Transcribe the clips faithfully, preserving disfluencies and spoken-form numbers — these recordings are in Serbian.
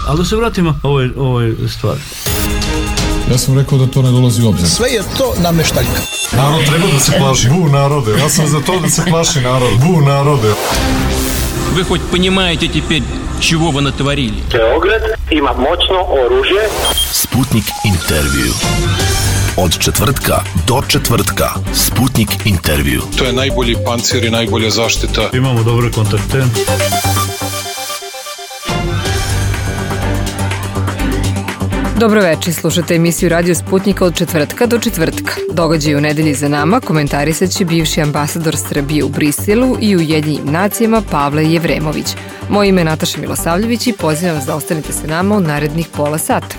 Ali da se vratimo ovoj, ovoj stvari. Ja sam rekao da to ne dolazi u obzir. Sve je to nameštaljka. Narod treba da se plaši. Bu narode. Ja sam za to da se plaši narod. Bu narode. Вы хоть понимаете теперь, чего вы натворили? Beograd ima moćno oružje. Sputnik intervju. Od četvrtka do četvrtka. Sputnik intervju. To je najbolji pancir i najbolja zaštita. Imamo dobre kontakte. Dobro večer, slušate emisiju Radio Sputnika od četvrtka do četvrtka. Događaj u nedelji za nama komentarisat će bivši ambasador Srbije u Briselu i Ujedinjenim nacijama Pavle Jevremović. Moje ime je Nataša Milosavljević i pozivam vas da ostanete sa nama u narednih pola sata.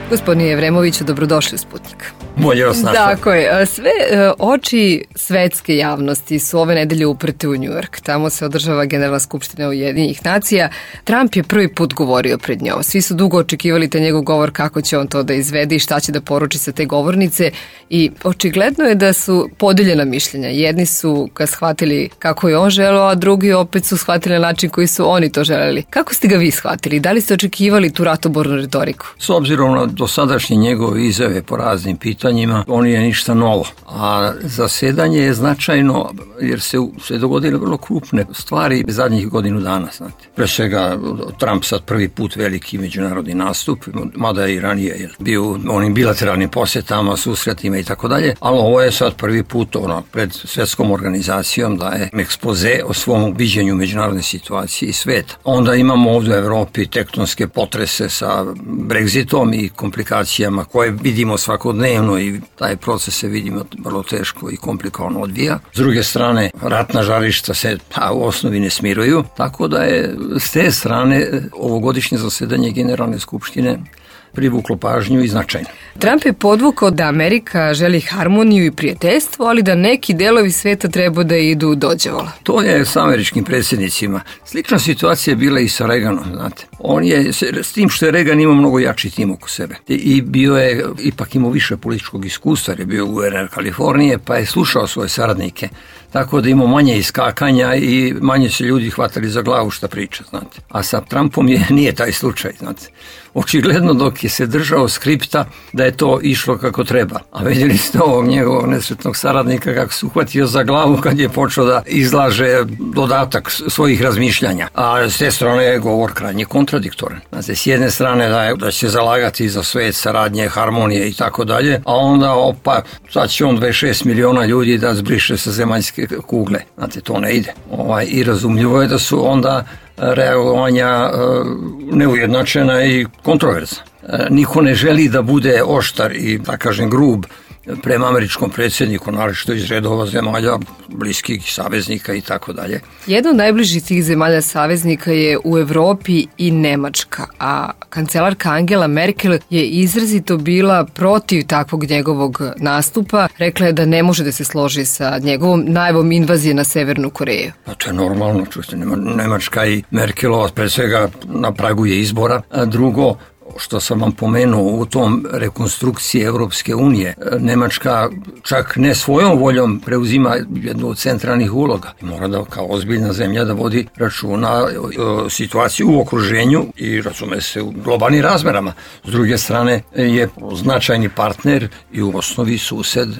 Gospodine Jevremoviću, dobrodošli u Sputnik. Bolje vas našao. Tako je. Sve oči svetske javnosti su ove nedelje uprte u Njujork. Tamo se održava Generalna skupština Ujedinjenih nacija. Trump je prvi put govorio pred njom. Svi su dugo očekivali te njegov govor, kako će on to da izvede i šta će da poruči sa te govornice. I očigledno je da su podeljena mišljenja. Jedni su ga shvatili kako je on želeo, a drugi opet su shvatili na način koji su oni to želeli. Kako ste ga vi shvatili? Da li ste očekivali tu ratobornu retoriku? S obzirom na dosadašnje njegove izjave po raznim pitanjima, on nije ništa novo. A zasedanje je značajno jer se, se dogodile vrlo krupne stvari zadnjih godinu dana. Znate. Pre svega Trump sad prvi put veliki međunarodni nastup, mada je i ranije bio onim bilateralnim posjetama, susretima i tako dalje, ali ovo je sad prvi put ono, pred svjetskom organizacijom da je ekspoze o svom viđenju međunarodne situacije i sveta. Onda imamo ovdje u Evropi tektonske potrese sa Brexitom i komplikacijama koje vidimo svakodnevno i taj proces se vidimo vrlo teško i komplikovano odvija. S druge strane, ratna žarišta se a, u osnovi ne smiruju, tako da je s te strane ovogodišnje zasedanje Generalne skupštine privuklo pažnju i značajno. Trump je podvukao da Amerika želi harmoniju i prijateljstvo, ali da neki delovi sveta treba da idu dođevola. To je s američkim predsjednicima. Slična situacija je bila i sa Reaganom, znate. On je, s tim što je Reagan imao mnogo jači tim oko sebe. I bio je, ipak imao više političkog iskustva, jer je bio guverner Kalifornije, pa je slušao svoje saradnike. Tako da imao manje iskakanja i manje se ljudi hvatali za glavu šta priča, znate. A sa Trumpom je, nije taj slučaj, znate. Očigledno dok je se držao skripta da je to išlo kako treba. A vidjeli ste ovog njegovog nesretnog saradnika kako se uhvatio za glavu kad je počeo da izlaže dodatak svojih razmišljanja. A s te strane je govor krajnje kontradiktoran. Znate, s jedne strane da, je, da će se zalagati za svet, saradnje, harmonije i tako dalje, a onda opa, sad će on dvadeset šest miliona ljudi da zbriše sa zemaljske kugle. Znate, to ne ide. Ovaj, I razumljivo je da su onda reagovanja e, neujednačena i kontroverzna. E, niko ne želi da bude oštar i, da kažem, grub prema američkom predsjedniku, naročito iz redova zemalja, bliskih saveznika i tako dalje. Jedna od najbližih tih zemalja saveznika je u Evropi i Nemačka, a kancelarka Angela Merkel je izrazito bila protiv takvog njegovog nastupa. Rekla je da ne može da se složi sa njegovom najavom invazije na Severnu Koreju. Pa to je normalno, čujte, Nemačka i Merkelova pre svega na pragu je izbora, a drugo, što sam vam pomenuo u tom rekonstrukciji Evropske unije, Nemačka čak ne svojom voljom preuzima jednu od centralnih uloga. Mora da kao ozbiljna zemlja da vodi računa o situaciji u okruženju i razume se u globalnim razmerama. S druge strane je značajni partner i u osnovi sused e,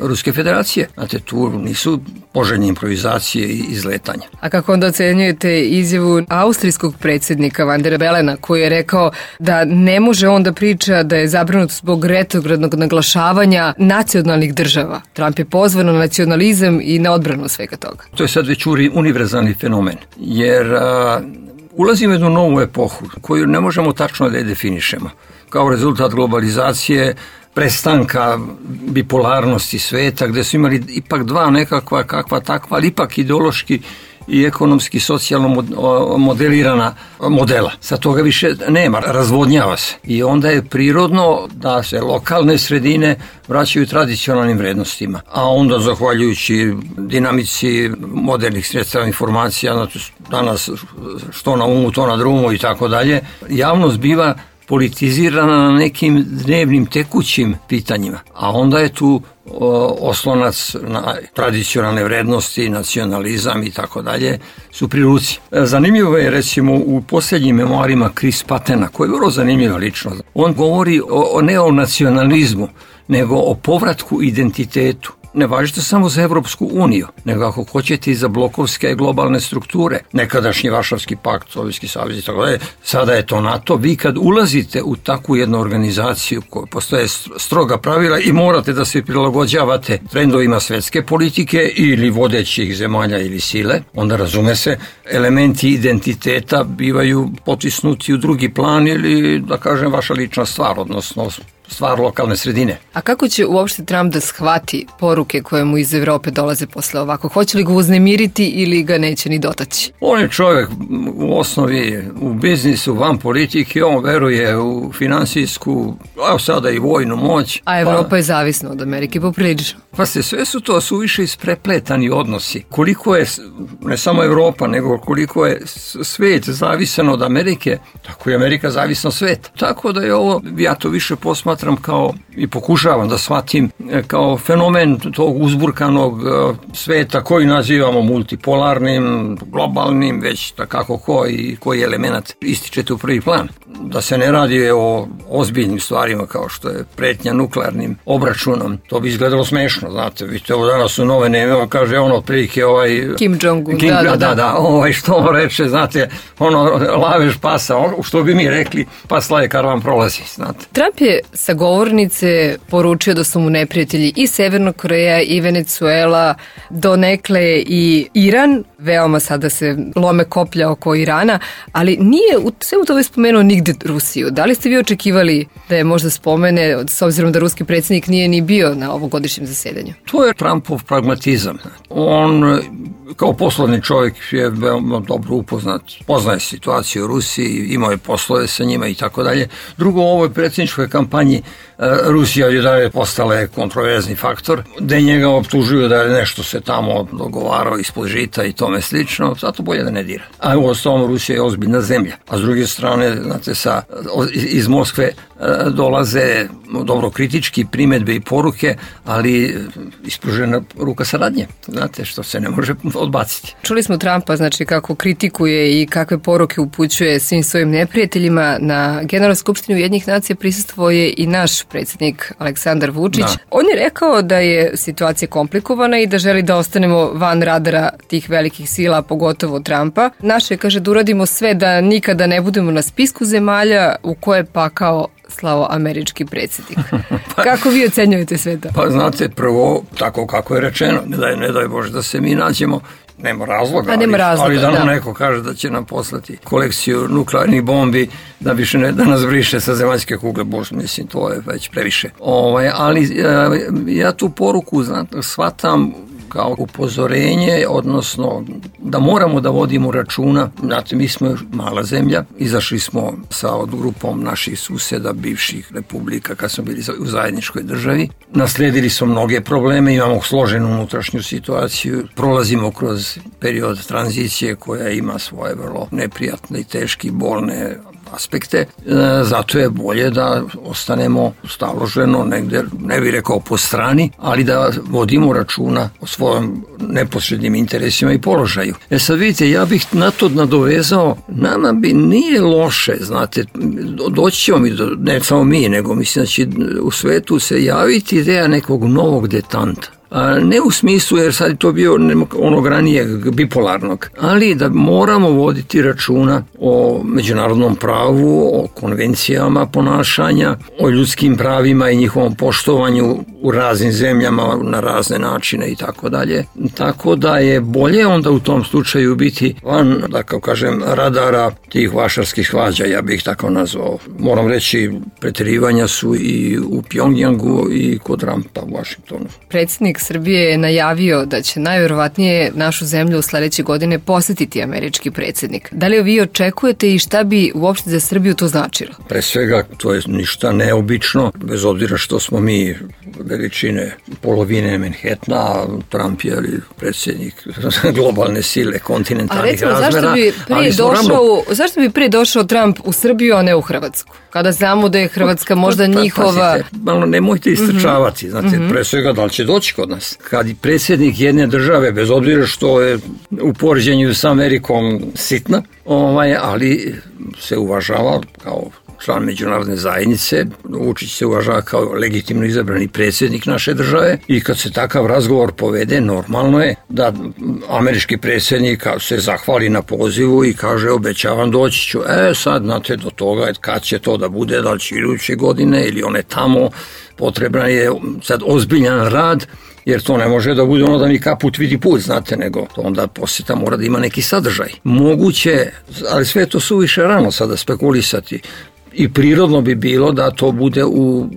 Ruske federacije. Znate, tu nisu poželjne improvizacije i izletanja. A kako onda ocenjujete izjavu austrijskog predsjednika Van der Belena koji je rekao da ne može on da priča da je zabrinut zbog retrogradnog naglašavanja nacionalnih država. Trump je pozvan na nacionalizam i na odbranu svega toga. To je sad već univerzalni fenomen, jer a, ulazimo u jednu novu epohu koju ne možemo tačno da je definišemo. Kao rezultat globalizacije, prestanka bipolarnosti sveta, gde su imali ipak dva nekakva kakva takva, ali ipak ideološki i ekonomski, socijalno modelirana modela. Sad toga više nema, razvodnjava se. I onda je prirodno da se lokalne sredine vraćaju tradicionalnim vrednostima. A onda, zahvaljujući dinamici modernih sredstava informacija, danas što na umu, to na drumu i tako dalje, javnost biva politizirana na nekim dnevnim tekućim pitanjima, a onda je tu o, oslonac na tradicionalne vrednosti, nacionalizam i tako dalje su pri ruci. Zanimljivo je recimo u posljednjim memoarima Chris Pattena, koji je vrlo zanimljiva ličnost. On govori o, o ne o nacionalizmu, nego o povratku identitetu. Ne važite samo za Evropsku uniju, nego ako hoćete i za blokovske globalne strukture. Nekadašnji Varšavski pakt, Sovjetski savez i tako dalje, sada je to NATO. Vi kad ulazite u takvu jednu organizaciju koja postoje stroga pravila i morate da se prilagođavate trendovima svetske politike ili vodećih zemalja ili sile, onda razume se, elementi identiteta bivaju potisnuti u drugi plan ili, da kažem, vaša lična stvar, odnosno stvar lokalne sredine. A kako će uopšte Trump da shvati poruke koje mu iz Evrope dolaze posle ovako? Hoće li ga uznemiriti ili ga neće ni dotaći? On je čovjek u osnovi u biznisu, van politike, on veruje u finansijsku, a sada i vojnu moć. A Evropa pa, je zavisna od Amerike poprilično. Pa se sve su to suviše isprepletani odnosi. Koliko je, ne samo Evropa, nego koliko je svet zavisan od Amerike, tako je Amerika zavisna od sveta. Tako da je ovo, ja to više posmatram kao i pokušavam da shvatim kao fenomen tog uzburkanog sveta koji nazivamo multipolarnim, globalnim, već takako ko i koji element ističete u prvi plan. Da se ne radi o ozbiljnim stvarima kao što je pretnja nuklearnim obračunom, to bi izgledalo smešno, znate, vidite, ovo danas u novine, kaže on otprilike ovaj... Kim Jong-un, Kim, da, da, da, da, ovaj što on reče, znate, ono, lavež pasa, on, što bi mi rekli, pas laje karvan prolazi, znate. Trump je sa govornice poručio da su mu neprijatelji i Severna Koreja i Venezuela, donekle i Iran, veoma sada se lome koplja oko Irana, ali nije u svemu tome spomenuo nigde Rusiju. Da li ste vi očekivali da je možda spomene, s obzirom da ruski predsjednik nije ni bio na ovogodišnjem zasedanju? To je Trumpov pragmatizam. On kao poslovni čovjek je veoma dobro upoznat, poznaje situaciju u Rusiji, imao je poslove sa njima i tako dalje. Drugo, u ovoj predsjedničkoj kampanji Rusija je dalje postala kontroverzni faktor, da njega optužuju da je nešto se tamo dogovarao ispod žita i tome slično, zato bolje da ne dira. A u osnovu Rusija je ozbiljna zemlja. A s druge strane, znate, sa, iz Moskve dolaze dobro kritički primjedbe i poruke, ali ispružena ruka saradnje, znate, što se ne može odbaciti. Čuli smo Trumpa, znači, kako kritikuje i kakve poruke upućuje svim svojim neprijateljima. Na Generalnoj skupštini Ujedinjenih nacija prisustvuje i naš predsjednik Aleksandar Vučić. Da. On je rekao da je situacija komplikovana i da želi da ostanemo van radara tih velikih sila, pogotovo Trumpa. Naše, kaže, da uradimo sve da nikada ne budemo na spisku zemalja u koje pa kao slao američki predsjednik. pa, kako vi ocenjujete sve to? Pa znate, prvo, tako kako je rečeno, ne daj, ne daj Bože da se mi nađemo, nema razloga, A, nema ali, razloga, ali da nam da. neko kaže da će nam poslati kolekciju nuklearnih bombi da više ne, da nas briše sa zemaljske kugle, bože, mislim, to je već previše. Ovaj, ali ja tu poruku, znate, shvatam kao upozorenje, odnosno da moramo da vodimo računa. Znate, mi smo mala zemlja, izašli smo sa od grupom naših suseda, bivših republika, kad smo bili u zajedničkoj državi. Naslijedili smo mnoge probleme, imamo složenu unutrašnju situaciju, prolazimo kroz period tranzicije koja ima svoje vrlo neprijatne i teške, bolne aspekte, e, zato je bolje da ostanemo staloženo negde, ne bih rekao po strani, ali da vodimo računa o svojim neposrednim interesima i položaju. E sad vidite, ja bih na to nadovezao, nama bi nije loše, znate, doći ćemo mi, do, ne samo mi, nego mislim da će u svetu se javiti ideja nekog novog detanta. A ne u smislu, jer sad je to bio onog ranijeg bipolarnog, ali da moramo voditi računa o međunarodnom pravu, o konvencijama ponašanja, o ljudskim pravima i njihovom poštovanju u raznim zemljama na razne načine i tako dalje. Tako da je bolje onda u tom slučaju biti van, da kao kažem, radara tih vašarskih svađa, ja bih tako nazvao. Moram reći, pretjerivanja su i u Pjongjangu i kod Trumpa u Washingtonu. Predsjednik Srbije je najavio da će najvjerovatnije našu zemlju u sledeće godine posjetiti američki predsjednik. Da li vi očekujete i šta bi uopšte za Srbiju to značilo? Pre svega, to je ništa neobično, bez obzira što smo mi veličine polovine Manhattana, Trump je predsjednik globalne sile kontinentalnih razmera. A recimo, zašto bi, prije došao, ravno... zašto bi prije došao Trump u Srbiju, a ne u Hrvatsku? Kada znamo da je Hrvatska možda pa, njihova... Pazite, malo nemojte istrčavati, znate, mm-hmm. pre svega da li će doći kod nas. Kad predsjednik jedne države, bez obzira što je u poređenju sa Amerikom sitna, ovaj, ali se uvažava kao član međunarodne zajednice, Vučić se uvažava kao legitimno izabrani predsjednik naše države i kad se takav razgovor povede, normalno je da američki predsjednik se zahvali na pozivu i kaže obećavam doći ću. E sad, znate, do toga kad će to da bude, da li će iduće godine ili one tamo, potreban je sad ozbiljan rad, jer to ne može da bude ono da mi kaput vidi put, znate, nego to onda posjeta mora da ima neki sadržaj. Moguće, ali sve to suviše rano sada spekulisati. I prirodno bi bilo da to bude u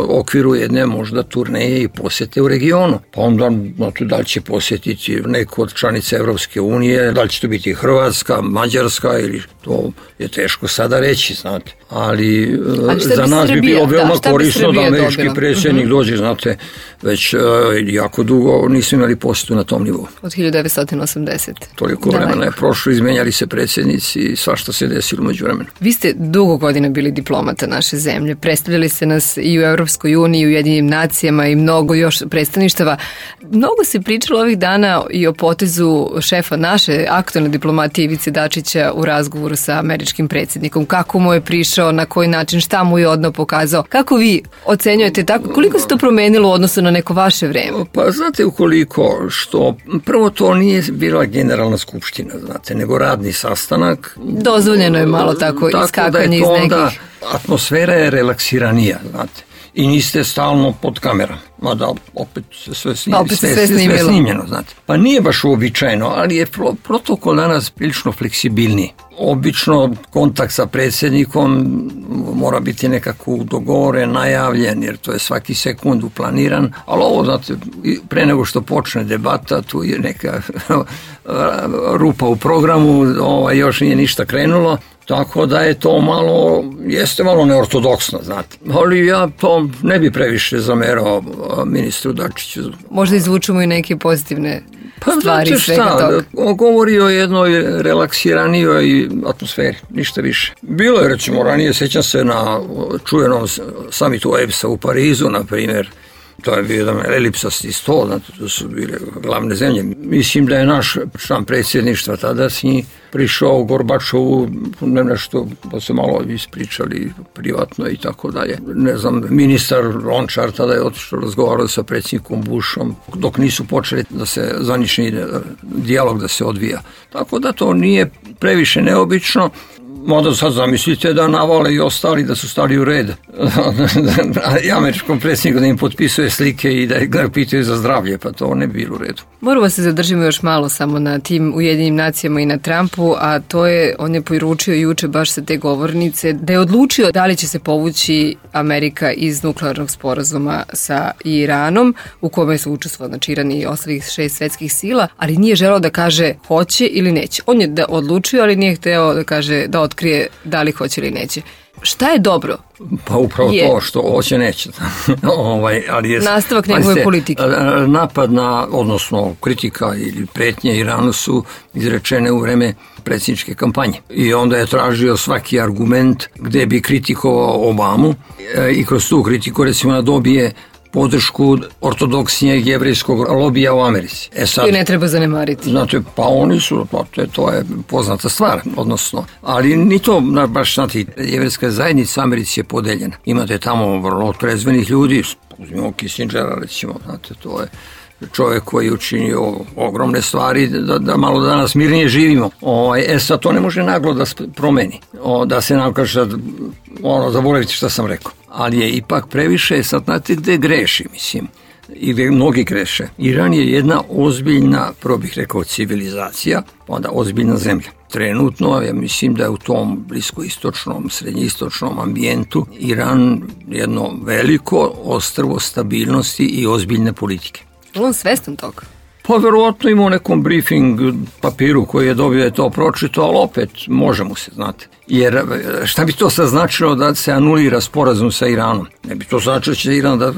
okviru jedne možda turneje i posjete u regionu. Pa onda znate, da li će posjetiti neko od članica Evropske unije, da li će to biti Hrvatska, Mađarska ili to je teško sada reći, znate. Ali, Ali za nas Srbija, bi bilo veoma da, korisno bi da američki dobila? predsjednik mm-hmm. dođe, znate, već uh, jako dugo nismo imali posjetu na tom nivou. Od hiljadu devetsto osamdesete. Toliko da, vremena je prošlo, izmenjali se predsjednici i svašta se desilo među vremenu. Vi ste dugo godina bili diplomata naše zemlje, predstavljali se nas i u Evropskoj uniji, i u Ujedinjenim nacijama i mnogo još predstavništava. Mnogo se pričalo ovih dana i o potezu šefa naše aktualne diplomatije Ivice Dačića u razgovoru sa američkim predsjednikom. Kako mu je prišao, na koji način, šta mu je odno pokazao. Kako vi ocenjujete tako? Koliko se to promenilo u odnosu na neko vaše vreme? Pa znate ukoliko što prvo to nije bila generalna skupština, znate, nego radni sastanak. Dozvoljeno je malo tako, tako iskakanje iz nekih. Atmosfera je relaksiranija, znate. I niste stalno pod kamerom. Mada opet sve, snimljeno, opet sve, sve, sve snimljeno, znate. Pa nije baš uobičajeno, ali je protokol danas prilično fleksibilniji. Obično kontakt sa predsjednikom mora biti nekako dogovoren, najavljen, jer to je svaki sekund uplaniran, ali ovo, znate, pre nego što počne debata, tu je neka rupa u programu, ovaj, još nije ništa krenulo, tako da je to malo, jeste malo neortodoksno, znate. Ali ja to ne bi previše zamerao ministru Dačiću. Možda izvučemo i neke pozitivne pa, stvari znate svega šta, toga. Govori o jednoj relaksiranijoj atmosferi, ništa više. Bilo je, recimo, ranije, sjećam se na čuvenom samitu O E B S-a u Parizu, na primjer, to je bio jedan elipsasti sto, znate, to su bile glavne zemlje. Mislim da je naš član predsjedništva tadašnji prišao Gorbačovu, ne nešto, pa se malo ispričali privatno i tako dalje. Ne znam, ministar Lončar tada je otišao, razgovarao sa predsjednikom Bushom, dok nisu počeli da se zvanični dijalog da se odvija. Tako da to nije previše neobično. Možda sad zamislite da navale i ostali da su stali u red i američkom predsjedniku da im potpisuje slike i da ga pitaju za zdravlje, pa to ne bi bilo u redu. Moramo se zadržimo još malo samo na tim Ujedinjenim nacijama i na Trumpu, a to je, on je poručio juče baš sa te govornice da je odlučio da li će se povući Amerika iz nuklearnog sporazuma sa Iranom, u kome su učestvovali, znači, Iran i ostalih šest svetskih sila, ali nije želeo da kaže hoće ili neće. On je da odlučio, ali nije hteo da kaže da otkrije da li hoće ili neće. Šta je dobro? Pa upravo je to što hoće neće. ovaj, ali je, nastavak njegove politike. Napad na, odnosno kritika ili pretnje Iranu su izrečene u vreme predsjedničke kampanje. I onda je tražio svaki argument gde bi kritikovao Obamu i kroz tu kritiku recimo dobije podršku ortodoksnijeg jevrejskog lobija u Americi. E sad, koji ne treba zanemariti. Znate, pa oni su, pa to je poznata stvar, odnosno, ali ni to, baš, znate, jevrejska zajednica u Americi je podeljena. Imate tamo vrlo trezvenih ljudi, uzmimo Kissingera, recimo, znate, to je čovjek koji je učinio ogromne stvari da, da malo danas mirnije živimo. O, e sad to ne može naglo da promeni. O, da se nam kaže, ono, zaboravite šta sam rekao. Ali je ipak previše, sad znate gde greši, mislim, i gde mnogi greše. Iran je jedna ozbiljna, prvo bih rekao, civilizacija, onda ozbiljna zemlja. Trenutno, ja mislim da je u tom bliskoistočnom, srednjoistočnom ambijentu Iran jedno veliko ostrvo stabilnosti i ozbiljne politike. Je li on svestan toga? Pa verovatno ima u nekom briefing papiru koji je dobio je to pročito, ali opet može mu se, znate. Jer šta bi to sad značilo da se anulira sporazum sa Iranom? Ne bi to značilo da će Iran da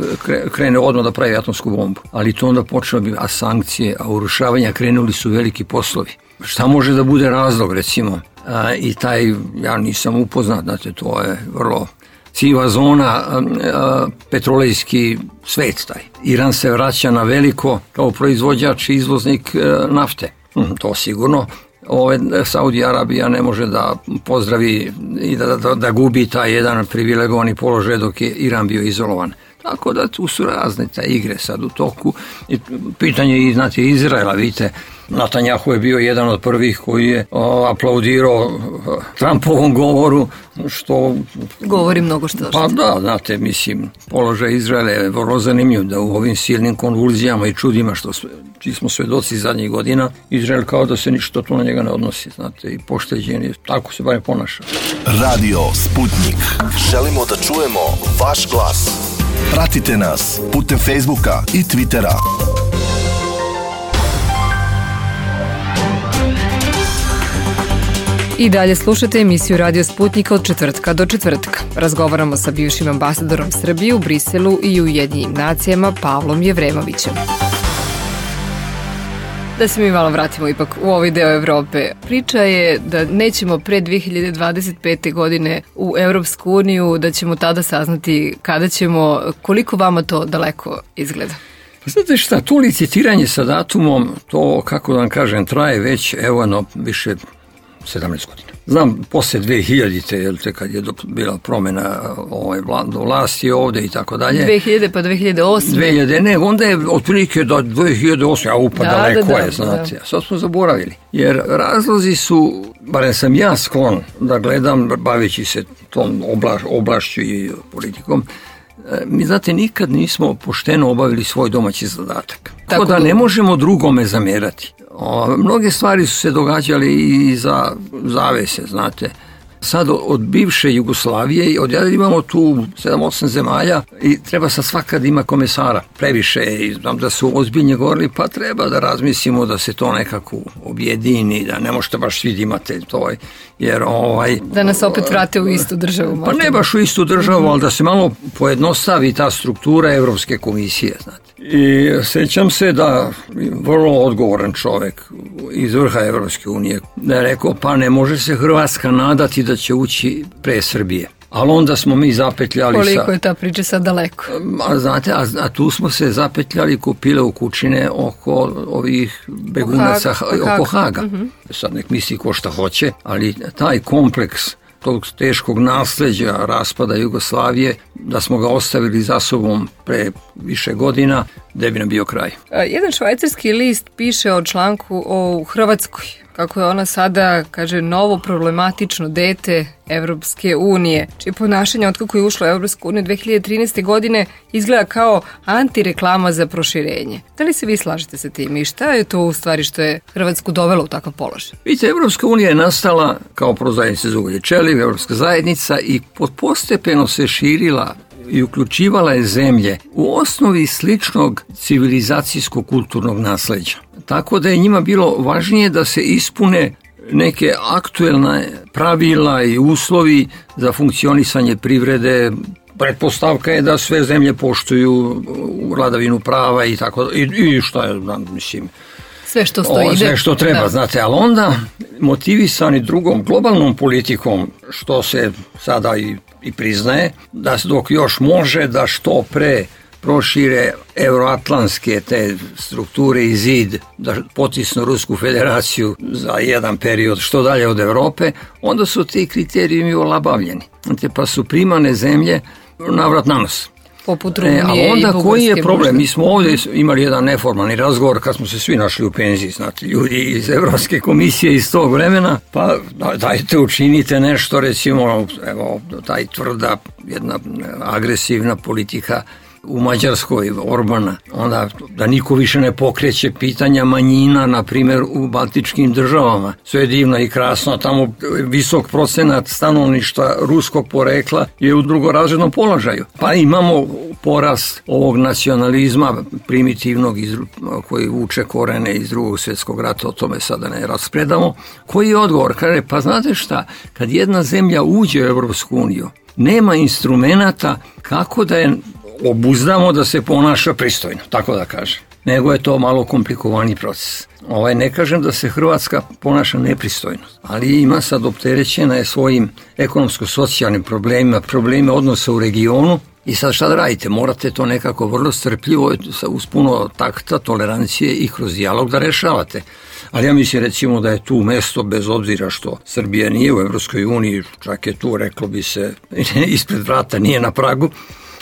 krene odmah da pravi atomsku bombu. Ali to onda počelo bi, a sankcije, a urušavanja krenuli su veliki poslovi. Šta može da bude razlog, recimo? A, I taj, ja nisam upoznat, znate, to je vrlo siva zona, a, a, petrolejski svet taj. Iran se vraća na veliko kao proizvođač i izvoznik a, nafte. Hm, to sigurno. Ove, Saudi Arabija ne može da pozdravi i da, da, da gubi taj jedan privilegovani položaj dok je Iran bio izolovan. Tako da tu su razne te igre sad u toku. I pitanje je, znate, Izraela, vidite, Netanjahu je bio jedan od prvih koji je o, aplaudirao Trumpovom govoru, što... Govori mnogo što. Pa da, znate, mislim, položaj Izraela je vrlo zanimljiv, da u ovim silnim konvulzijama i čudima što čiji smo svedoci zadnjih godina, Izrael kao da se ništa to na njega ne odnosi, znate, i pošteđen je, tako se barem ponaša. Radio Sputnik. Želimo da čujemo vaš glas. Pratite nas putem Facebooka i Twittera. I dalje slušate emisiju Radio Sputnika od četvrtka do četvrtka. Razgovaramo sa bivšim ambasadorom Srbije u Briselu i Ujedinjenim nacijama Pavlom Jevremovićem. Da se mi malo vratimo ipak u ovaj deo Evrope. Priča je da nećemo pre dve hiljade dvadeset pete. godine u Evropsku uniju, da ćemo tada saznati kada ćemo, koliko vama to daleko izgleda. Znate šta, to licitiranje sa datumom, to, kako da vam kažem, traje već, evo, no, više sedamnaest godina. Znam, posle dve hiljadite. jel te, kad je bila promjena ovaj, vlasti ovde i tako dalje. dve hiljade pa dve hiljade osme. dve hiljade, ne, onda je otprilike do dve hiljade osme, a upa da, daleko da, da, je, znate. Da. Sad smo zaboravili. Jer razlozi su, barem sam ja sklon da gledam, baveći se tom oblaš, oblašću i politikom, mi, znate, nikad nismo pošteno obavili svoj domaći zadatak. Tako da ne možemo drugome zamerati. O, mnoge stvari su se događale i za zavese, znate. Sad od bivše Jugoslavije, odjavljali imamo tu sedam osam zemalja i treba sad svaka da ima komesara. Previše i znam da su ozbiljnje govorili, pa treba da razmislimo da se to nekako objedini, da ne možete baš svi da imate to. Jer ovaj... Da nas opet vrate u istu državu. Pa ne baš u istu državu, ali da se malo pojednostavi ta struktura Evropske komisije, znate. I sećam se da vrlo odgovoran čovjek iz vrha Evropske unije da je rekao, pa ne može se Hrvatska nadati da će ući pre Srbije. Ali onda smo mi zapetljali Koliko sa... je ta priča sad daleko? A, znate, a, a tu smo se zapetljali kupile u kućine oko ovih begunaca, Haga, oko Haga. Uh-huh. Sad nek misli ko šta hoće, ali taj kompleks tog teškog nasleđa raspada Jugoslavije, da smo ga ostavili za sobom pre više godina, gde bi nam bio kraj. Jedan švajcarski list piše o članku o Hrvatskoj, kako je ona sada, kaže, novo problematično dete Evropske unije, čije ponašanje otkako je ušlo u Evropsku uniju dve hiljade trinaeste. godine izgleda kao antireklama za proširenje. Da li se vi slažete sa tim i šta je to u stvari što je Hrvatsku dovelo u takav položaj? Vidite, Evropska unija je nastala kao prozajednica za ugalj i čeliv, Evropska zajednica, i postepeno se širila i uključivala je zemlje u osnovi sličnog civilizacijsko-kulturnog nasleđa. Tako da je njima bilo važnije da se ispune neke aktuelne pravila i uslovi za funkcionisanje privrede. Pretpostavka je da sve zemlje poštuju vladavinu prava i tako, i, i šta je, mislim, sve što stoji, o, sve što treba, da. Znate, ali onda motivisani drugom globalnom politikom, što se sada i, i priznaje, da dok još može da što pre prošire euroatlantske te strukture i zid, da potisnu Rusku federaciju za jedan period što dalje od Evrope, onda su ti kriterijumi olabavljeni. Znate, pa su primane zemlje navrat na nos. Poput Rumunije e, a onda i Bugarske, koji je problem? možda? Mi smo ovdje imali jedan neformalni razgovor kad smo se svi našli u penziji, znate, ljudi iz Evropske komisije iz tog vremena, pa dajte učinite nešto, recimo, evo, taj tvrda, jedna agresivna politika u Mađarskoj Orbana, onda da niko više ne pokreće pitanja manjina, na primjer u baltičkim državama. Sve je divno i krasno, tamo visok procenat stanovništva ruskog porekla je u drugorazrednom položaju. Pa imamo porast ovog nacionalizma primitivnog iz, koji vuče korene iz drugog svjetskog rata, o tome sada ne raspredamo. Koji je odgovor? Kaže, pa znate šta, kad jedna zemlja uđe u Europsku uniju, nema instrumenata kako da je obuzdamo da se ponaša pristojno, tako da kažem. Nego je to malo komplikovani proces. Ovaj, ne kažem da se Hrvatska ponaša nepristojno, ali ima sad opterećena je svojim ekonomsko-socijalnim problemima, probleme odnosa u regionu. I sad šta da radite? Morate to nekako vrlo strpljivo, uz puno takta, tolerancije i kroz dijalog da rešavate. Ali ja mislim recimo da je tu mesto, bez obzira što Srbija nije u Evropskoj uniji, čak je tu, reklo bi se, ispred vrata, nije na pragu,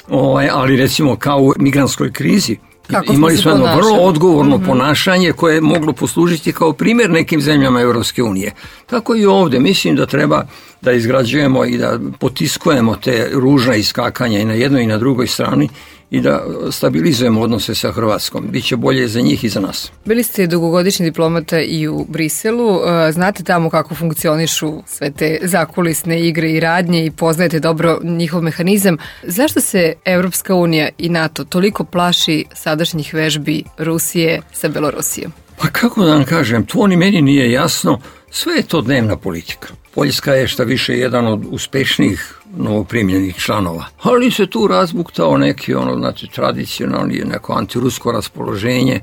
ovaj, ali recimo kao u migrantskoj krizi, kako imali smo jedno vrlo odgovorno mm-hmm. ponašanje koje je moglo poslužiti kao primjer nekim zemljama Evropske unije. Tako i ovdje. Mislim da treba da izgrađujemo i da potiskujemo te ružna iskakanja i na jednoj i na drugoj strani i da stabilizujemo odnose sa Hrvatskom. Biće bolje za njih i za nas. Bili ste dugogodišnji diplomata i u Briselu. Znate tamo kako funkcionišu sve te zakulisne igre i radnje i poznajete dobro njihov mehanizam. Zašto se Evropska unija i NATO toliko plaši sadašnjih vežbi Rusije sa Belorusijom? Pa kako da vam kažem, to ni meni nije jasno. Sve je to dnevna politika. Poljska je šta više jedan od uspešnijih novoprimljenih članova. Ali se tu razbuktao neki ono, znači, tradicionalni, neko antirusko raspoloženje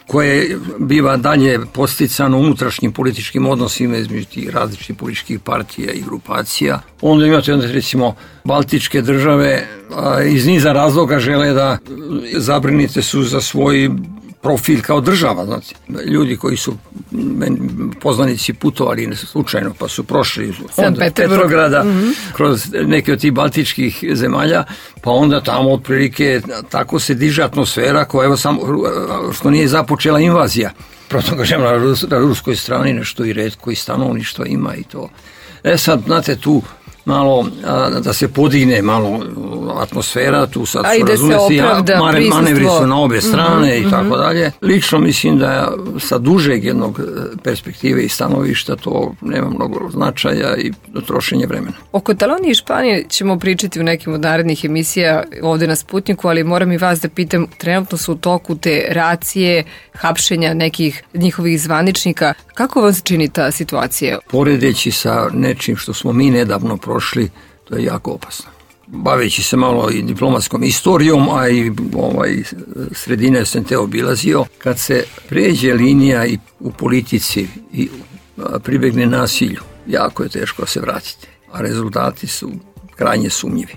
koje biva dalje posticano unutrašnjim političkim odnosima između tih različitih političkih partija i grupacija. Onda imate, onda, recimo, baltičke države a, iz niza razloga žele da zabrinite su za svoj profil kao država, znači, ljudi koji su poznanici putovali slučajno pa su prošli od Petrograda mm-hmm. kroz neke od tih baltičkih zemalja, pa onda tamo otprilike tako se diže atmosfera koja evo samo što nije započela invazija. Proto kažem, na, Rus, na ruskoj strani nešto i retko i stanovništvo ima i to. E sad, znate, tu malo a, da se podigne malo atmosfera, tu sad su razumjeti, manevri su na obe strane mm-hmm, i tako dalje. Lično mislim da sa dužeg jednog perspektive i stanovišta to nema mnogo značaja i trošenje vremena. O Kataloniji i Španiji ćemo pričati u nekim od narednih emisija ovdje na Sputniku, ali moram i vas da pitam, trenutno su u toku te racije, hapšenja nekih njihovih zvaničnika. Kako vam se čini ta situacija? Poredeći sa nečim što smo mi nedavno prošli, to je jako opasno. Baveći se malo i diplomatskom istorijom, a i ovaj, sredine sam te obilazio, kad se pređe linija i u politici i pribegne nasilju, jako je teško se vratiti, a rezultati su krajnje sumnjivi.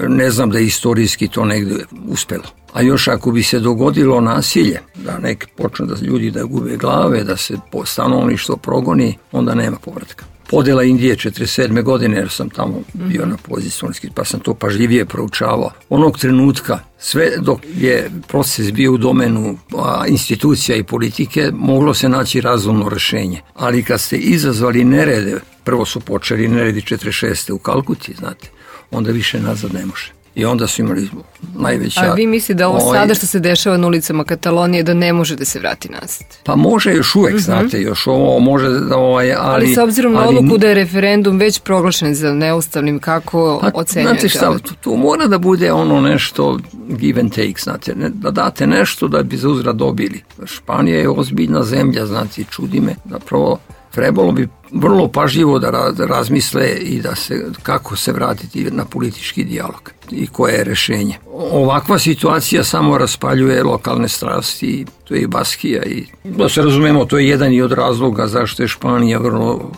Ne znam da je istorijski to negdje uspelo. A još ako bi se dogodilo nasilje, da neki počnu da ljudi da gube glave, da se stanovništvo progoni, onda nema povratka. Podjela Indije četrdeset sedme godine, jer sam tamo bio na poziciji, pa sam to pažljivije proučavao. Onog trenutka, sve dok je proces bio u domenu a, institucija i politike, moglo se naći razumno rješenje. Ali kad ste izazvali nerede, prvo su počeli neredi četrdeset šeste u Kalkuti, znate, onda više nazad ne može. I onda su imali najveća... A vi mislite da ovo ovaj, sada što se dešava na ulicama Katalonije da ne može da se vrati nazad? Pa može još uvijek, mm-hmm. znate, još ovo može da... Ovaj, ali, ali s obzirom na odluku da je referendum već proglašen za neustavnim, kako pa, ocenjujete? Znate šta, tu, tu mora da bude ono nešto give and take, znate, ne, da date nešto da bi za uzvrat dobili. Španija je ozbiljna zemlja, znate, čudi me, zapravo trebalo bi vrlo pažljivo da razmisle i da se, kako se vratiti na politički dijalog i koje je rješenje. Ovakva situacija samo raspaljuje lokalne strasti, to je i Baskija i da se razumemo, to je jedan i od razloga zašto je Španija vrlo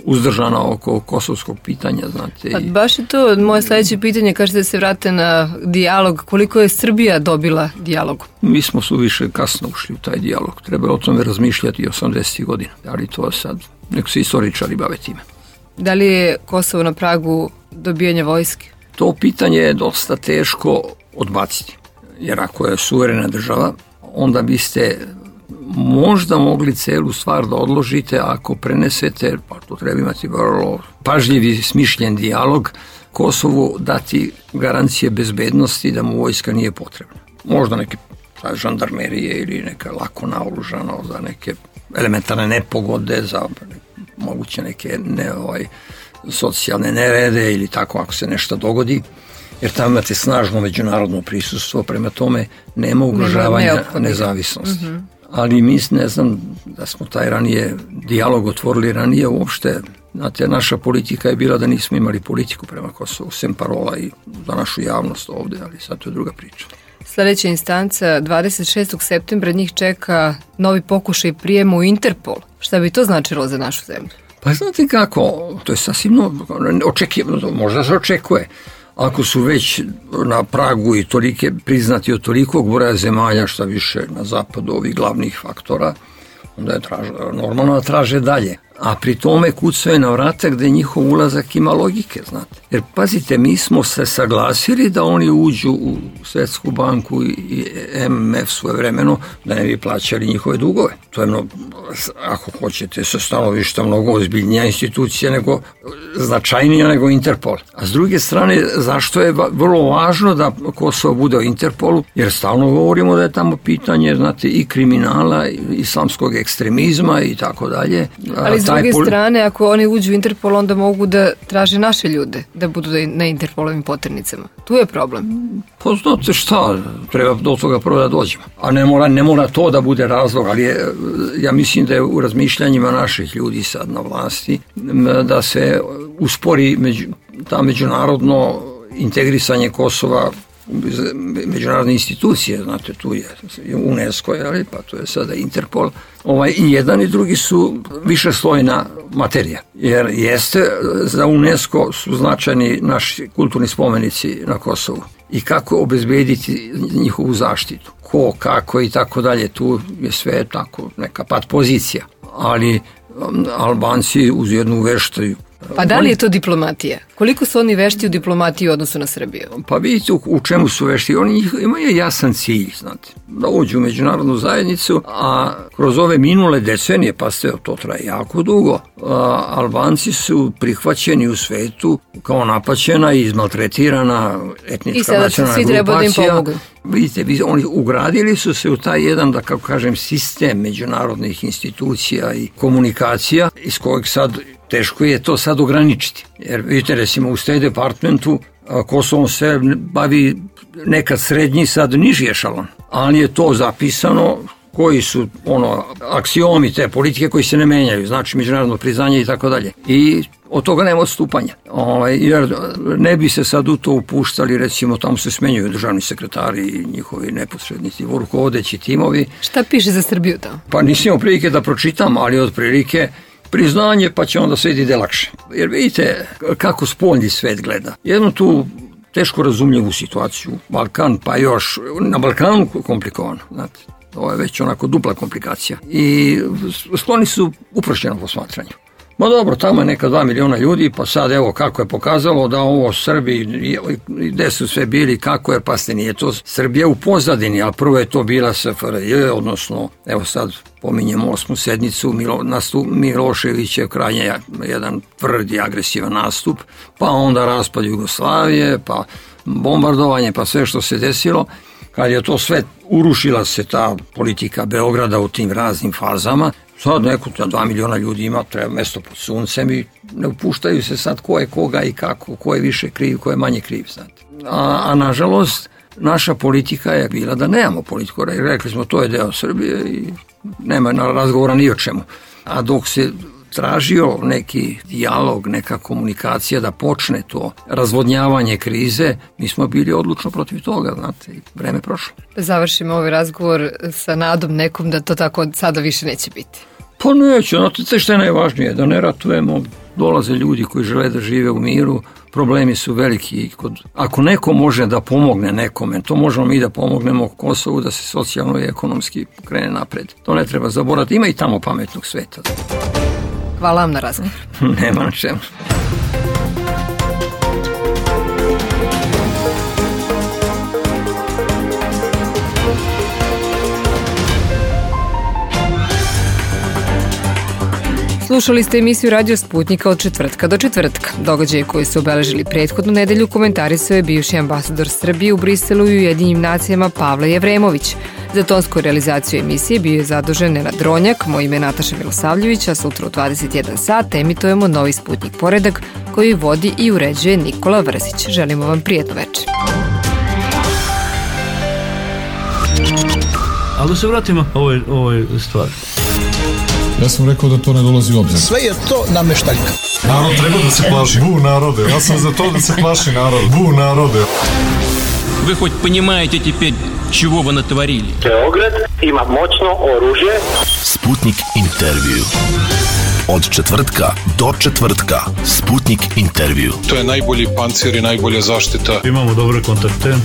uzdržana oko kosovskog pitanja, znate. Pa baš je to moje sljedeće pitanje, kažete da se vrate na dijalog, koliko je Srbija dobila dijalog? Mi smo suviše kasno ušli u taj dijalog, treba o tome razmišljati osamdesetih godina, ali to sad nek se istoričari bave time. Da li je Kosovo na pragu dobijanja vojske? To pitanje je dosta teško odbaciti, jer ako je suverena država, onda biste možda mogli celu stvar da odložite ako prenesete, pa to treba imati vrlo pažljivi, smišljen dijalog Kosovu dati garancije bezbednosti da mu vojska nije potrebna. Možda neke žandarmerije ili neka lako naoružano za neke elementarne nepogode, za moguće neke ne, ovaj, socijalne nerede ili tako ako se nešto dogodi, jer tamo imate snažno međunarodno prisustvo, prema tome nema ugrožavanja nezavisnosti. Mm-hmm. Ali mi ne znam da smo taj ranije dijalog otvorili ranije uopšte. Znate, naša politika je bila da nismo imali politiku prema Kosovu, sem parola i za našu javnost ovde, ali sad to je druga priča. Sljedeća instanca, dvadeset šestog septembra njih čeka novi pokušaj prijema u Interpol. Šta bi to značilo za našu zemlju? Pa znate kako, to je sasvim očekivano, možda se očekuje. Ako su već na pragu i tolike priznati od tolikog broja zemalja, šta više na zapadu ovih glavnih faktora, onda je traže, normalno da traže dalje. A pri tome kucaju na vrata gde njihov ulazak ima logike, znate. Jer pazite, mi smo se saglasili da oni uđu u Svetsku banku i M M F svoje vremeno, da ne bi plaćali njihove dugove. To je, mnogo, ako hoćete, sa stanovišta mnogo ozbiljnija institucija, nego značajnija nego Interpol. A s druge strane, zašto je vrlo važno da Kosovo bude u Interpolu? Jer stalno govorimo da je tamo pitanje, znate, i kriminala, i islamskog ekstremizma i tako dalje. Ali s druge strane, ako oni uđu u Interpol, onda mogu da traže naše ljude da budu na Interpolovim poternicama. Tu je problem. Pa znate šta, treba do toga prvo da dođemo. A ne mora, ne mora to da bude razlog, ali je, ja mislim da je u razmišljanjima naših ljudi sad na vlasti da se uspori među, ta međunarodno integrisanje Kosova međunarodne institucije, znate, tu je UNESCO, ali pa tu je sada Interpol. Ovaj, i jedan i drugi su višeslojna materija, jer jeste za UNESCO su značajni naši kulturni spomenici na Kosovu. I kako obezbediti njihovu zaštitu, ko, kako i tako dalje, tu je sve tako neka pat pozicija, ali Albanci uz jednu veštaju. Pa da li je to diplomatija? Koliko su oni vešti u diplomatiji u odnosu na Srbiju? Pa vidite u, u čemu su vešti. Oni imaju jasan cilj, znate, da uđu u međunarodnu zajednicu, a kroz ove minule decenije, pa ste, to traje jako dugo, a, Albanci su prihvaćeni u svetu kao napaćena i izmaltretirana etnička nacionalna grupacija. I sada svi treba da im pomogu. Vidite, oni ugradili su se u taj jedan, da kako kažem, sistem međunarodnih institucija i komunikacija, iz kojeg sad teško je to sad ograničiti. Jer vidite, recimo u State Departmentu Kosovom se bavi nekad srednji, sad niži ešalon. Ali je to zapisano koji su ono aksiomi te politike koji se ne menjaju, znači međunarodno priznanje i tako dalje. I od toga nema odstupanja. Ovaj, jer ne bi se sad u to upuštali, recimo tamo se smenjuju državni sekretari i njihovi neposrednici, rukovodeći timovi. Šta piše za Srbiju tamo? Pa nisam imao prilike da pročitam, ali od prilike priznanje, pa će onda sve ide lakše. Jer vidite kako spoljni svet gleda. Jednu tu teško razumljivu situaciju, Balkan, pa još na Balkanu komplikovano, znate. Ovo je već onako dupla komplikacija. I skloni su uprošćenom posmatranju. Ma dobro, tamo je neka dva miliona ljudi, pa sad evo kako je pokazalo da ovo Srbi, gde su sve bili, kako je, pa ste nije to Srbija u pozadini, a prvo je to bila S F R J, odnosno, evo sad pominjemo osmu sednicu, Milo, nastup Miloševićev krajnje jedan tvrdi agresivan nastup, pa onda raspad Jugoslavije, pa bombardovanje, pa sve što se desilo. Kad je to sve, urušila se ta politika Beograda u tim raznim fazama, sad neko, dva miliona ljudi ima, treba mesto pod suncem i ne upuštaju se sad ko je koga i kako, ko je više kriv, ko je manje kriv. A, a nažalost, naša politika je bila da nemamo politiku. Rekli smo, to je deo Srbije i nema razgovora ni o čemu. A dok se tražio neki dijalog, neka komunikacija da počne to razvodnjavanje krize, mi smo bili odlučno protiv toga, znate, i vreme prošlo. Da završimo ovaj razgovor sa nadom nekom da to tako sada više neće biti. Pa neće, znate što je najvažnije, da ne ratujemo, dolaze ljudi koji žele da žive u miru, problemi su veliki. Ako neko može da pomogne nekome, to možemo mi da pomognemo Kosovu da se socijalno i ekonomski krene napred. To ne treba zaboraviti, ima i tamo pametnog sveta. Hvala vam na razgovor. Nema na čemu. Slušali ste emisiju Radio Sputnika od četvrtka do četvrtka. Događaje koji su obeležili prethodnu nedelju komentarisao je bivši ambasador Srbije u Briselu i Ujedinjenim nacijama Pavle Jevremović. Za tonsku realizaciju emisije bio je zadužen Nenad Dronjak, moje ime je Nataša Milosavljević, a sutra u dvadeset jedan sat emitujemo novi Sputnik Poredak koji vodi i uređuje Nikola Vrzić. Želimo vam prijatno večer. Ali da se vratimo ovoj, ovoj stvari. Ja sam rekao da to ne dolazi u obzir. Sve je to nameštaljka. Narod treba da se plaši. Bu narode. Ja sam za to da se plaši narod. Bu narode. Вы хоть понимаете теперь, чего вы натворили? Beograd ima moćno oružje. Sputnik intervju. Od četvrtka do četvrtka. Sputnik intervju. To je najbolji pancir i najbolja zaštita. Imamo dobre kontakte.